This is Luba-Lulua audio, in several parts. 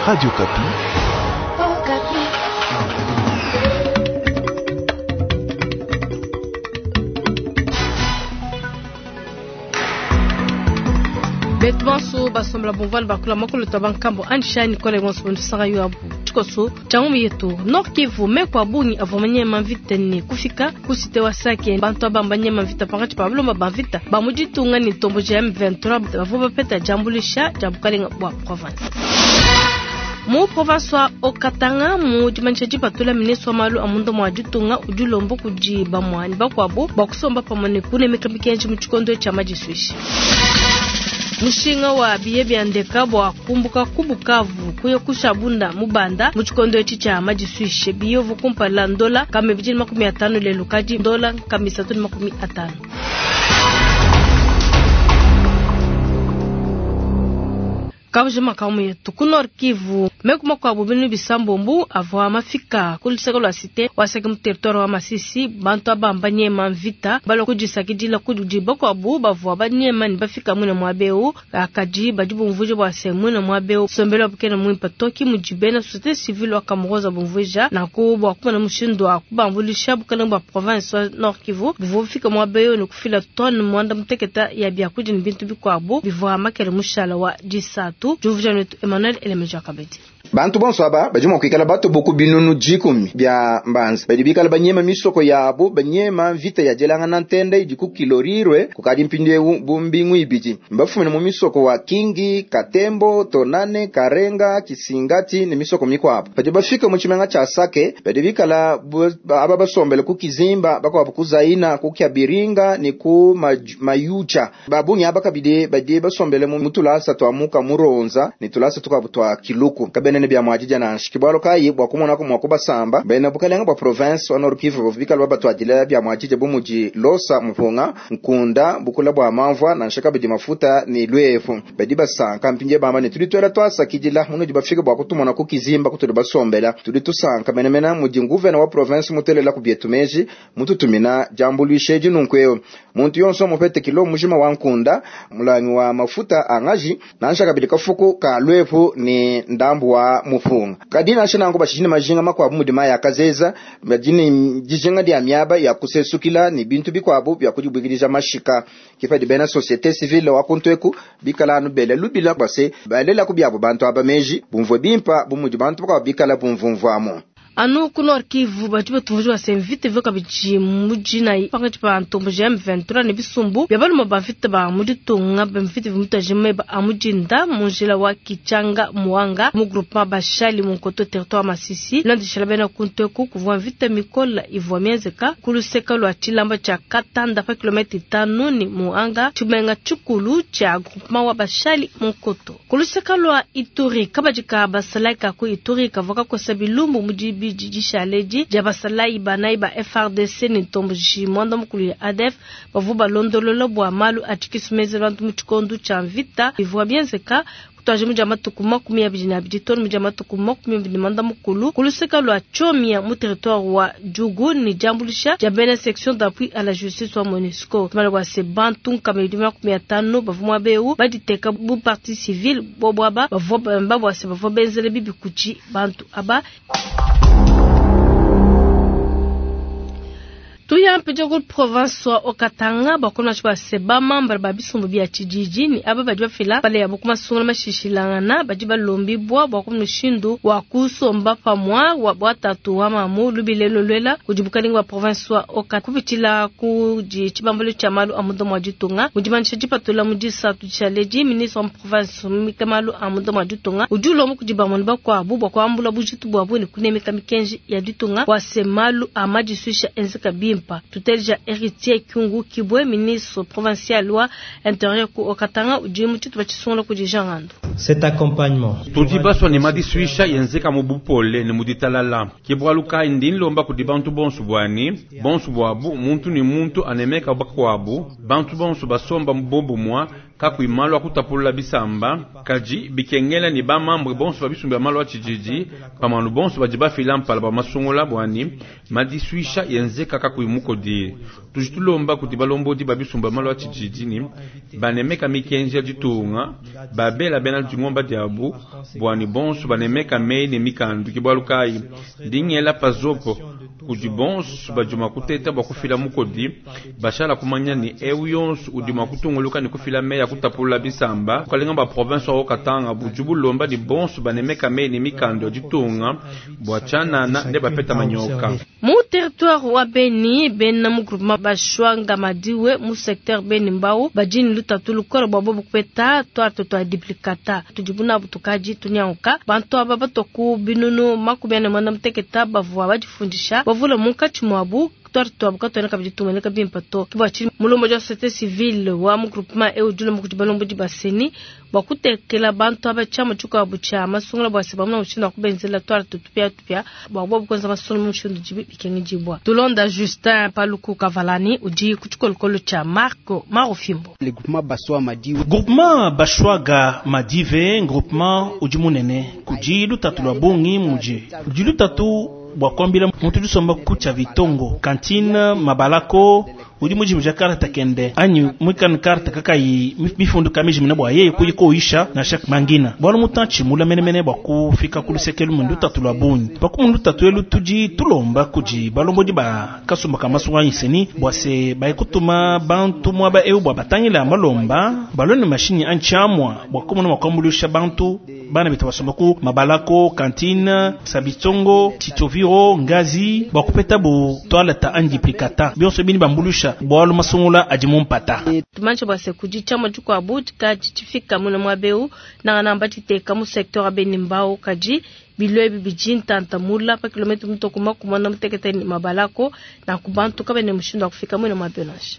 Radio Okapi. Betu bonso basombela bumvua bakula makolo twa bankambo anshani kole bonso bondusaka yo abu tshikoso tshia ngumu yetu Nord Kivu meku a bungi avua manyema mvita ne kufika ku cité wa Sake bantu aba mbanyema mvita pankatshi pa balomba ba mvita ba mu ditunga ne ntomboji ya M23 bavua bapeta diambuluisha dia bukalenga bua province. Mu province wa Haut-Katanga mu dimanyisha dipatula ministre wa malu a munda mua ditunga udi ulomba kudi bamue ne bakuabu bua kusomba pamue ne kunemeka mikenji mu tshikondo tshia madisuishi. Mushinga wa biye bia ndeka bua kumbuka ku Bukavu kuya ku Shabunda mu Banda mu tshikondo etshi tshia madisuishe biye uvu kumpala ndola nkama 250 lelu kadi ndola 350. Kabuji makamu yetu ku Nord Kivu meku makuabu binu bisambombu avua mafika ku luseke lua cité wa Sake mu territoire wa Masisi bantu aba mbanyema mvita balua kudisakidila kudi bakuabu bavua banyema ne bafika muine muaba eu kadi badi bumvuija bua se muine muaba eu nsombelu wabu kena muimpe to ki mudi bena société civile wa Kamuroza bumvuija nanku bua kumona mushindu wa kubambuluisha bukalenge bua province wa Nord Kivu buvua bufika muaba eu ne kufila tonne muanda muteketa ya biakudia ne bintu bikuabu bivua makele mushala wa disatu. Diumvuija netu Emmanuel Elemeja Kabedi. Bantu bonso aba badi mua kuikala batobo ku binunu dikumi bia mbanza badi bikala banyema misoko yabo banyema mvita ya dielangana ntende idi ku Kilorirwe kukadi mpindieu bu mbingu ibidi mbafumine mu misoko wa Kingi, Katembo, Tonane, Karenga, Kisingati ne misoko mikuabu badi bafika mu tshimenga tshia Sake badi bikala aba basombele ku Kizimba bakuabu ku Zaina ku Kyabiringa ne ku Mayuja babungi aba kabidi badi basombele mu tulasa twa muka Muronza ne tulasa tukuabu twa Kiluku kabene ne bia muadija nansha kibwalo kayi bua kumona ko mua kubasamba bena bukalenga bua province wa Nord Kivu bikala babatwadila bia muadija bu mudi losa mupunga nkunda bukula bua mamvua nansha kabidi mafuta ne lwefu badi basanka mpindie bamba ne tudi twela twasakidila munudi bafika bua kutumona ku Kizimba kutudi basombela tudi tusanka menemene mudi nguvena wa province mutelela ku bietu meji mututumina diambuluisha edi nunku eu muntu yonso mupete kilo mujima wa nkunda mulangi wa mafuta angaji nansha kabidi kafuku ka lwefu ne ndambu wa mufunga kadi nansha nanku bashishine majinga makuabu mudi maya akazeza badi dijinga dia miaba ya kusesukila ne bintu bikuabu bia kudibwikidija mashika kipadi bena société civile wa kuntweku bikala anu bele lubila base balela ku biabo bantu aba meji bumvue bimpa bumudi bantu bakuabu bikala bumvumvuamu. Anu ku Nord Kivu badi batumvuija bua se mvita ivua kabidi mu dinayi pankatshi pa ntomboji ya M23 ne bisumbu bia balume ba mvita ba mu ditunga ba mvita ivua mitaji meba a mu dinda mu njila wa Kichanga Muanga mu groupement Bashali mu Nkoto territoire Masisi landishala bena kunteku kuvua mvita mikola ivua mienzeka ku luseka lua tshilamba tshia Katanda pa kilomètre itanu ni Muanga tshimenga tshikulu tshia groupement wa Bashali mu Nkoto ku luseka lua Ituri kabadi ka basalayi ka ku Ituri kavua kakosa bilumbu mu dibi didishaledi dia basalayi banayi ba FARDC ne ntomboji muanda mukulu ya ADF bavua balondolola bua malu a tshikisu bantu mu tshikondo tshia mvita bivua bienzeka kutwaje mu dia matuku 22 tonu mu dia matuku 24 ku luseka lua Tchomia mu territoire wa Djugu ne diambuluisha dia bena section d'appui à la justice wa MONUSCO tumala bua se bantu nkama 250 bavua muaba eu baditeka bu partie civile bobo aba bavua bamba bua se bavua benzele bibi kudi bantu aba. Tuya mpija ku province wa Haut-Katanga bakona ba se ba membre ba bisumbu bia tshididi ni aba badi bafila pale ya bukuma sungula mashishilangana badi balombi bwa bwa kumushindu wa kusomba pamwa wa bwatatu wa mamu lubilelo lwela kudi bukalenga wa province wa Haut-Katanga kupitila ku di tshibambalo tshia malu a munda mua ditunga mudimanisha dipatula mu disatu tshialedi ministre wa province mika malu a munda mua ditunga udi ulomba kudi bamone bakuabu bwa kuambula bujitu bwabu ne kunemeka mikenji ya ditunga wa se malu a madisuisha enzeka bimpa. Tutelja Héritier Kyungu Kibwe ministre provincial wa intérieur ku Haut-Katanga udi mu tshitupa tshisungula kudi Jean Ngando. Cet accompagnement tudi baswa ne madisuisha yenzeka mu bupole ne mu ditalala ke bualu kayi ndi nlomba kudi bantu bonso bwani bonso bwabu muntu ne muntu anemeka bakuabu bantu bonso basomba mu bobumwa. Kakuyi malu a kutapulula bisamba, kadi bikengela ne ba membre bonso ba bisumbu bia malu a tshididi pamue ne bonso badi bafila mpala bua masungula bua ne madisuisha enzeka kakuyi mukodi. Tudi tulomba kudi balombodi ba bisumbu bia malu a tshididi ne banemeka mikenji ya ditunga, babela bena dingomba diabu bua ne bonso banemeka meyi ne mikandu. Ke bualu kayi ndi ngela pazopo kudi bonso badi mua kuteta bua kufila mukodi, bashala kumanya ne eu yonso udi mua kutunguluka ne kufila meyi a kutapulula bisamba. Bukalenga bua province wa Haut-Katanga budi bulomba ne bonso banemeka meyi ne mikandu ya ditunga bua tshianana ne bapeta manyoka. Mu territoire wa Beni, bena mu groupement Bashwanga Madiwe mu secteur Beni Mbau badi ne lutatu lukole bua bobu kupeta tuarte tua duplicata tudibu nabu tukadi tunyanguka. Bantu aba batua ku binunu 45 bavua badifundisha, bavule munkatshi muabu tuarte tuabu katuena kabidi tumueneka bimpe to. Ke bua tshinyi mulombodi wa société civile wa mu groupement eu udi ulomba kudi balombodi ba CENI bua kutekela bantu aba tshiamu tshikuabu tshia masungula bua se bamona mushindu wa kubenzela tuarte tupiatupia bua bobu kuenza masungula mu mushindu udibi bikengedibua. Tulonda Justin Paluku Kavalani udi ku tshikolokolo tshia Marco Marofimbo. Groupement Bashwaga Madive, groupement udi munene kudi lutatu lua bungi muje udi lutatu bua kuambila muntu disomba ku Tshavitongo cantine Mabalako udi mujimija carte kende anyi mwikana carte kakayi mifundu kamijimina bua yeye kuyi koyisha nansha mangina bualu mutantshi mula menemene bua kufika ku lusekelu mu lutatu lua bungi pakumu lutatu elu tudi tulomba kudi balombodi ba kasumba ka masunga CENI bua se baye kutuma bantu muaba eu bua batangila malomba balone mashinyi antshiamua bua kumona mua kuambuluisha bantu bana betu basomba ku Mabalako cantine Sabitongo Chitoviro Ngazi bua kupeta bu toilette anyi duplicata bionso bini bambuluisha bualu masungula adi mu mpata. Tumanyishe bua se kudi tshiamua tshikuabu tshikadi tshifika muna muaba eu nangananga batshiteka mu secteur wa Beni Mbau kadi bilo ebi bidi ntanta mula pa kilomètre mutoko 46 ne Mabalako nanku bantu kabena ne mushindu wa kufika muna muaba eu nansha.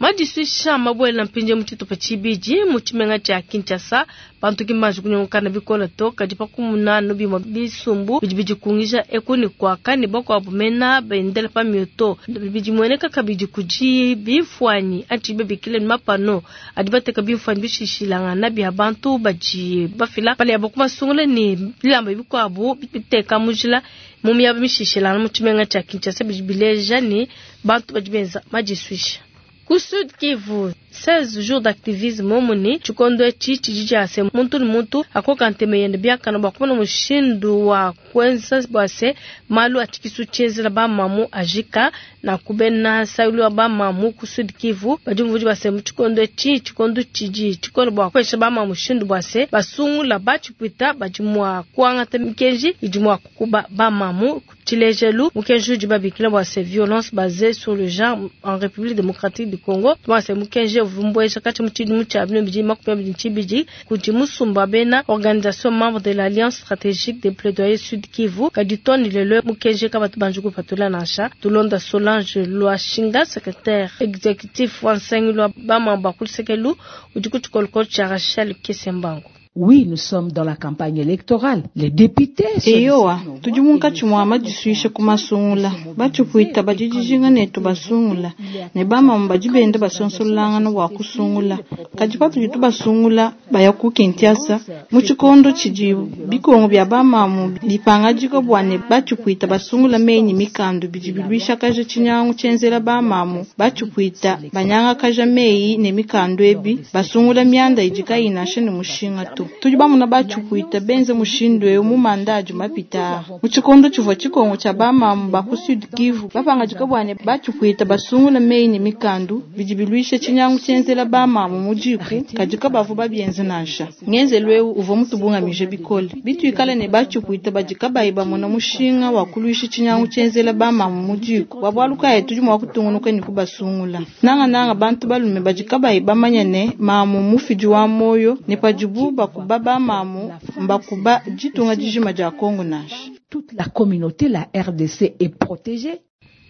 Madisuisha mabuela mpindieu mu tshitupa tshibidi mu tshimenga tshia Kinshasa bantu ki mbanji kunyungukana bikole to kadi pa kumuna anu bimue bisumbu bidi bidikungija eku ne kuaka ne bakuabu mena bendela pa mioto bidimueneka kabidi kudi bimfuanyi anyi babikile ne mapano adi bateka bimfuanyi bishishilangana bia bantu badi bafila pale yabo ku masungula ne bilamba bikuabu biteka mu njila mu miaba mishishilangana mu tshimenga tshia Kinshasa bidi bileja ne bantu badi benza madisuisha. Ku Sud Kivu, 16 jours d'activisme muni tshikondo etshi tshidi tshia se muntu ne muntu akoka ntema yende biakana bua kumona mushindu wa kuenza bua se malu a tshikisu tshienzela bamamu ajika na kubena saulu wa bamamu ku Sud Kivu badi mvudi bua se mu tshikondo etshi tshikondo tshidi tshikole bua kupesha bamamu mushindu bua se basungula batshipwita badi mua kuangata mikenji idi mua kukuba bamamu. Tshilejelu mukenji udi babikila bua se violence basée sur le genre en République démocratique du Congo bua se mukenji uvumbuesha kati mu tshidimu tshia 2022 kudi musumba bena organisation membre de l'Alliance stratégique des plaidoyers Sud Kivu kadi toni lelo mukenji kabatu banji kupatula nansha. Tulonda Solange Lwashinga secrétaire exécutif wa nsangilu wa bamamba kulusekelu udi ku tshikolokolo tshia Rachel Kesembango. Oui, nous sommes dans la campagne électorale. Les députés Eyowa, tudi munkatshi mua madisuisha ku masungula. Batshipwita badi dijinga netu basungula. Ne bamamu badi benda basonsolangana bua kusungula. Kadi patudi tubasungula baya ku Kinshasa, mu tshikondo tshidi bikongo bia bamamu bipangadika bua ne batshipwita basungula menyi mikandu bidi biluishakaja tshinyangu tshienzela bamamu. Batshipwita banyangakaja meyi ne mikandu ebi basungula mianda idi kayi nansha ne mushinga to. Tudi bamuna batshipwita benze mushindu eu mu manda adi mapita. Mu tshikondo tshivua tshikongo tshia bamamu ba ku Sud Kivu bapangadika bua ne batshipwita basungula meyi ne mikandu bidi biluisha tshinyangu tshienzela bamamu mu diku kadi kabavu babienze nansha. Ngenzelu eu uvua mutubungamije bikole. Bituikale ne batshipwita badi kabayi bamona mushinga wa kuluisha tshinyangu tshienzela bamamu mu diku. Bua bualu kayi tudi mua kutungunuka ne kubasungula. Nangananga bantu balume badi kabayi bamanya ne mamu mufidi wa moyo ne padibu bakuba bamamu mbakuba ditunga dijima dia Kongo nansha. Toute la communauté, la RDC est protégée.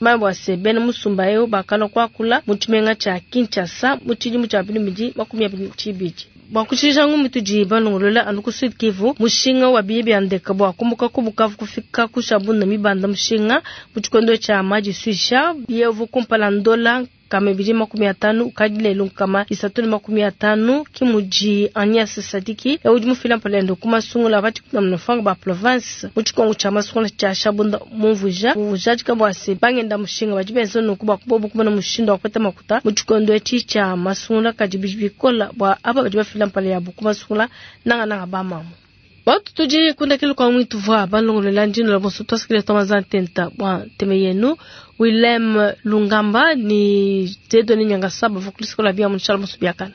Mambo ase bena musumba eu bakala kuakula mu tshimenga tshia Kinshasa mu tshidimu tshia 2022. Bua kushija ngumu tudi balongolola anu ku Sud Kivu mushinga wa biye bia ndeka bua kumuka ku Bukavu kufika ku Shabunda mibanda mushinga mu tshikondo tshia madisuisha biye uvu kumpala ndola 250 ukadi lelu 350 ki mudi Agnes Sadiki udi mufila mpalendo ku masungula ba ba province mu tshikongo tshia masungula tshia Shabunda mumvuija ujadika bua se bangenda mushinga badi benza nunku bua kubobu kumona mushindu wa kupeta makuta mu tshikondo etshi tshia masungula kadi bidi bikola bua aba badi bafila mpala yabu ku masungula nangananga ba mamu. Watu tudi kundakilo kwa mwitu vwa balongolola ndino la bonso twasikile twamaza ntenta bwa nteme yenu Willem Lungamba ni Tedoni Nyangasaba vakulisikola bia munshala musu biakana.